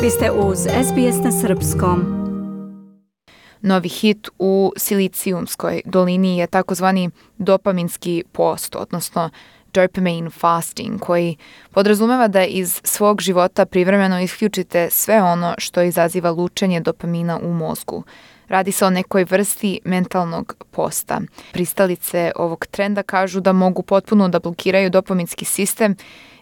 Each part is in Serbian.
Vi ste uz SBS na srpskom. Novi hit u Silicijumskoj dolini je takozvani dopaminski post, odnosno dopamine fasting, koji podrazumeva da iz svog života privremeno isključite sve ono što izaziva lučenje dopamina u mozgu. Radi se o nekoj vrsti mentalnog posta. Pristalice ovog trenda kažu da mogu potpuno da blokiraju dopaminski sistem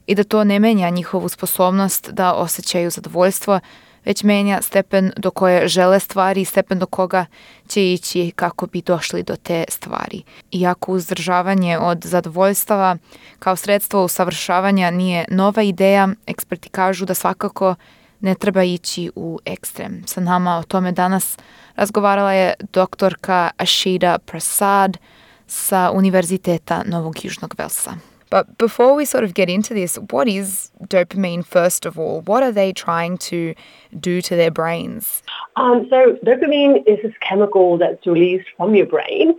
i da to ne menja njihovu sposobnost da osjećaju zadovoljstvo, već menja stepen do koje žele stvari i stepen do koga će ići kako bi došli do te stvari. Iako uzdržavanje od zadovoljstava kao sredstvo usavršavanja nije nova ideja, eksperti kažu da svakako ne treba ići u ekstrem. Sa nama o tome danas razgovarala je doktorka Ashida Prasad sa Univerziteta Novog Južnog Velsa. But before we sort of get into this, what is dopamine first of all? What are they trying to do to their brains? So dopamine is this chemical that's released from your brain.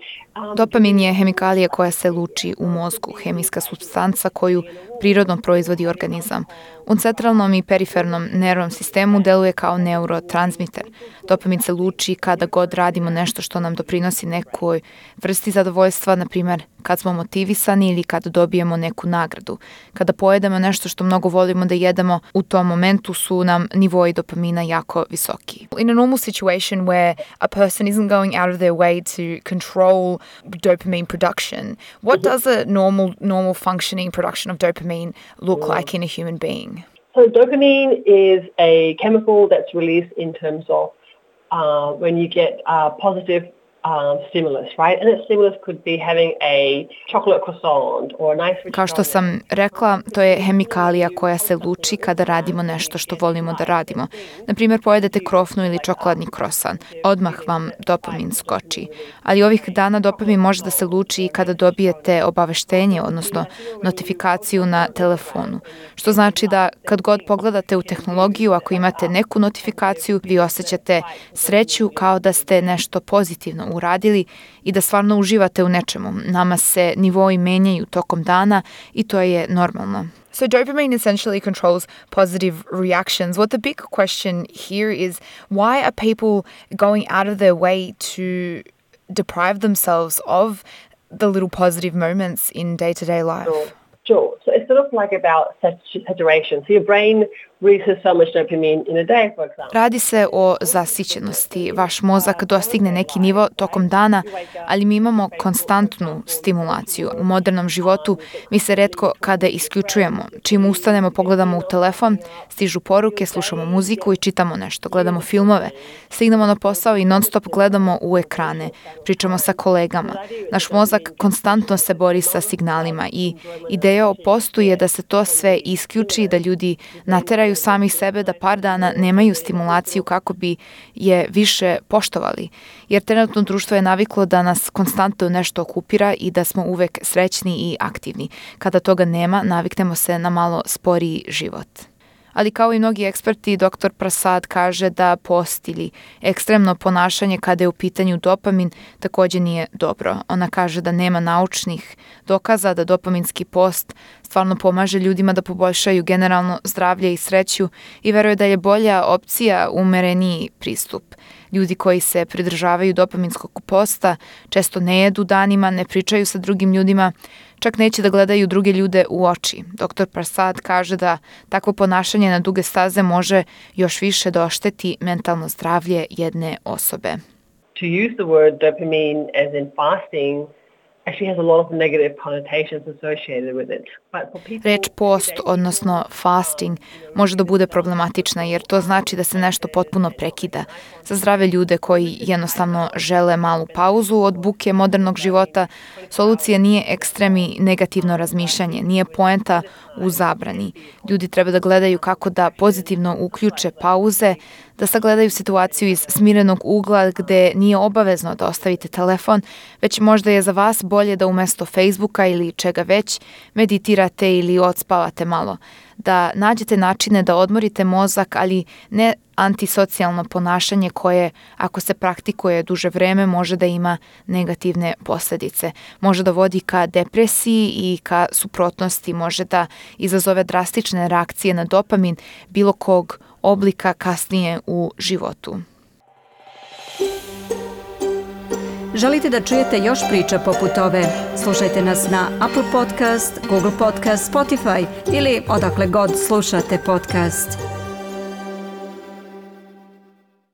Dopamin je hemikalija koja se luči u mozgu, hemijska supstanca koju prirodno proizvodi organizam. U centralnom i perifernom nervnom sistemu deluje kao neurotransmiter. Dopamin se luči kada god radimo nešto što nam doprinosi nekoj vrsti zadovoljstva, na primjer kad smo motivisani ili kad dobijemo neku nagradu. Kada pojedemo nešto što mnogo volimo da jedemo, u tom momentu su nam nivoi dopamina jako visoki. In a normal situation where a person isn't going out of their way to control dopamine production, what does a normal functioning production of dopamine look like in a human being? So dopamine is a chemical that's released in terms of when you get positive stimulus, right? And that stimulus could be having a chocolate croissant or a nice rich Kao što sam rekla, to je hemikalija koja se luči kada radimo nešto što volimo da radimo. Na primjer, pojedete krofnu ili čokoladni krosan. Odmah vam dopamin skoči. Ali ovih dana dopamin može da se luči i kada dobijete obaveštenje, odnosno notifikaciju na telefonu. Što znači da kad god pogledate u tehnologiju, ako imate neku notifikaciju, vi osjećate sreću kao da ste nešto pozitivno uradili i da stvarno uživate u nečemu. Nama se nivoi menjaju tokom dana i to je normalno. So dopamine essentially controls positive reactions. What the big question here is, why are people going out of their way to deprive themselves of the little positive moments in day-to-day life? Sure. So it's sort of like about saturation. So your brain releases so much dopamine in a day, for example. Radi se o zasićenosti. Vaš mozak dostigne neki nivo tokom dana, ali mi imamo konstantnu stimulaciju. U modernom životu mi se retko kada isključujemo. Čim ustanemo, pogledamo u telefon, stižu poruke, slušamo muziku i čitamo nešto, gledamo filmove. Stignemo na posao i non stop gledamo u ekrane, pričamo sa kolegama. Naš mozak konstantno se bori sa signalima i ideja o postu je da se to sve isključi, da ljudi nateraju sami sebe da par dana nemaju stimulaciju kako bi je više poštovali. Jer trenutno društvo je naviklo da nas konstantno nešto okupira i da smo uvek srećni i aktivni. Kada toga nema, naviknemo se na malo sporiji život. Ali kao i mnogi eksperti, dr. Prasad kaže da post ili ekstremno ponašanje kada je u pitanju dopamin također nije dobro. Ona kaže da nema naučnih dokaza da dopaminski post stvarno pomaže ljudima da poboljšaju generalno zdravlje i sreću i veruje da je bolja opcija umereniji pristup. Ljudi koji se pridržavaju dopaminskog posta često ne jedu danima, ne pričaju sa drugim ljudima, čak neće da gledaju druge ljude u oči. Dr. Prasad kaže da takvo ponašanje na duge staze može još više da ošteti mentalno zdravlje jedne osobe. To use the word dopamine as in fasting actually has a lot of negative connotations associated with it. Reč post, odnosno fasting, može da bude problematična jer to znači da se nešto potpuno prekida. Za zdrave ljude koji jednostavno žele malu pauzu od buke modernog života, solucija nije ekstrem i negativno razmišljanje, nije poenta u zabrani. Ljudi treba da gledaju kako da pozitivno uključe pauze, da sagledaju situaciju iz smirenog ugla gde nije obavezno da ostavite telefon, već možda je za vas bolje da umesto Facebooka ili čega već meditirate ili odspavate malo. Da nađete načine da odmorite mozak, ali ne antisocijalno ponašanje koje, ako se praktikuje duže vreme, može da ima negativne posljedice. Može da vodi ka depresiji i ka suprotnosti, može da izazove drastične reakcije na dopamin bilo kog oblika kasnije u životu. Želite da čujete još priča poput ove? Slušajte nas na Apple Podcast, Google Podcast, Spotify ili odakle god slušate podcast.